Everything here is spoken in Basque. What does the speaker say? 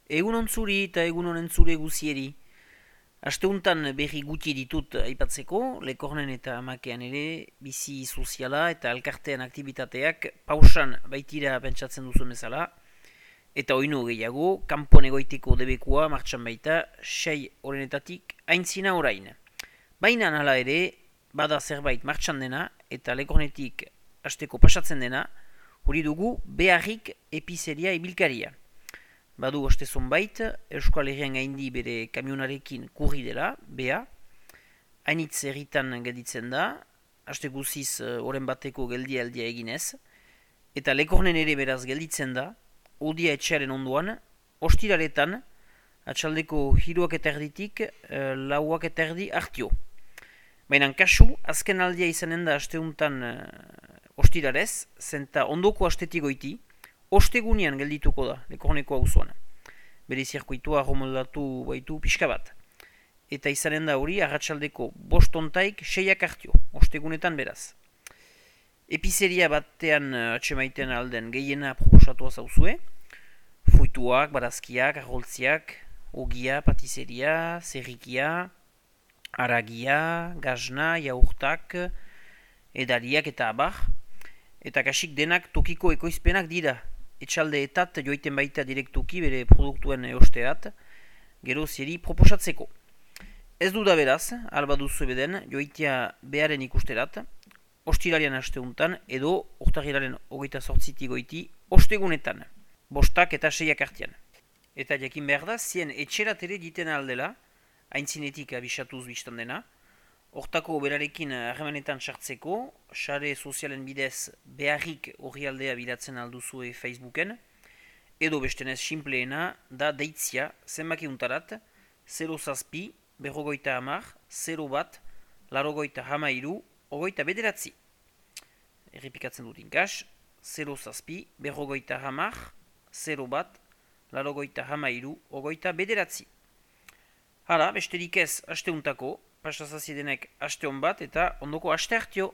Egun ontzuri eta egun honen zure guzieri. Asteuntan berri gutxi ditut aipatzeko, Lekornen eta Amakean ere, bizi soziala eta elkartean aktivitateak pausan baitira pentsatzen duzu bezala, eta oinu gehiago, kanpon egoiteko debekua martxan baita, 6 horrenetatik aintzina orain. Baina hala ere, bada zerbait martxan dena, eta Lekornetik asteko pasatzen dena, hori dugu beharrik epizeria ibilkaria. Badu oste zonbait, Euskal Herrian gaindi bere kamionarekin kurri dela, bea. Hainitz herritan gelditzen da, aste guziz oren bateko geldia eginez. Eta Lekornen ere beraz gelditzen da, odia etxearen ondoan, ostiraretan, atxaldeko 3:30 lauak eta erdi hartio. Baina kasu, azken aldia izanen da asteuntan ostirarez, zenta ondoko astetik goiti, ostegunean geldituko da, Lekorneko auzoan. Bere zirkuitua romoldatu baitu pixka bat. Eta izanen da hori, arratsaldeko 5 6 hartio, ostegunetan beraz. Epizeria batean atxemaiten alden gehiena proposatua zauzue. Fruituak, barazkiak, arroltziak, ogia, patizeria, zerrikia, aragia, gazna, jaurtak, edariak eta abar. Eta kasik denak tokiko ekoizpenak dira. Etxaldeetat joiten baita direktuki bere produktuen osteat, gero zeri proposatzeko. Ez du da beraz, alba duzu ebeden, joitea beharen ikusterat, ostirarian asteuntan edo urtarrilaren 28 goiti ostegunetan, 5 eta 6 artean. Eta jakin behar da, zien etxerat ere diten aldela, aintzinetik abisatuz biztan dena, hortako berarekin harremanetan sartzeko, sare sozialen bidez beharrik horri aldea bilatzen alduzue Facebooken, edo bestenez simpleena da deitzia zenbaki untarat 0 zazpi, berrogoita hamar, 0 bat, larogoita hamairu, ogoita bederatzi. Errepikatzen dut inkas, 0 zazpi, berrogoita hamar, 0 bat, larogoita hamairu, ogoita bederatzi. Hala, besterik ez asteuntako, pasazazidenek aste hon bat eta ondoko aste hartio.